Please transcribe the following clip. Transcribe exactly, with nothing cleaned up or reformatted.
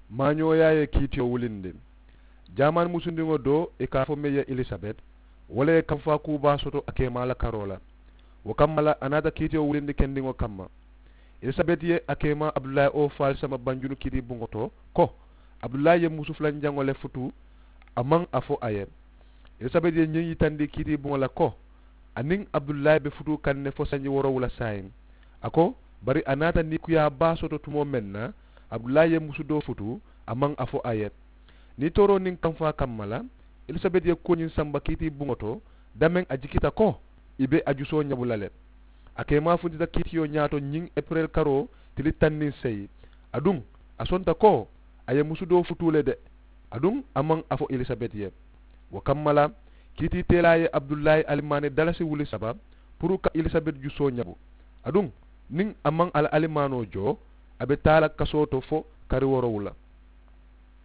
Maañooyaa ye kiitiyo wulindi. Jaamaani musundiŋo doo i ka a fo meŋ ye elisabet, wo le ye kamfaa kuu baa soto a keemaa la karoo la. Wo kamma la a naata kiitiyo wulindi kendiŋo kamma. Elisabet ye a keemaa abudulaayi ofaalu sama banjunu kiiti buŋo to, ko abudulaayi ye musu fulanjaŋo le futuu. A maŋ a fo a ye. Elisabet ye ñiŋ yitandi kiiti buŋo la ko a niŋ abudulaayi be futuu kaŋ ne fo sanji woorowula saayiŋ. A ko bari a naata niikuyaa baa soto tumoo meŋ na, abudulaayi ye musu doo futuu. A maŋ a fo a ye. Niŋ tooroo niŋ kamfaa kamma la, elisabet ye kuwo ñiŋ samba kiiti buŋo to, dameŋ a jikita ko i be a jusoo ñabu la le. A keemaa funtita kiitiyo ñaato ñiŋ eperel karoo tili taŋ niŋ seyi. Aduŋ a sonta ko a ye musu doo futuu le de. Aduŋ a maŋ a fo elisabet ye. Wo kamma la kiitii teelaa ye abudulaayi alimaani dalasi wuli saba puru ka elisabet jusoo ñabu. Aduŋ niŋ a maŋ a la alimaanoo joo, a be taa la kasoo to fo kari woorowula.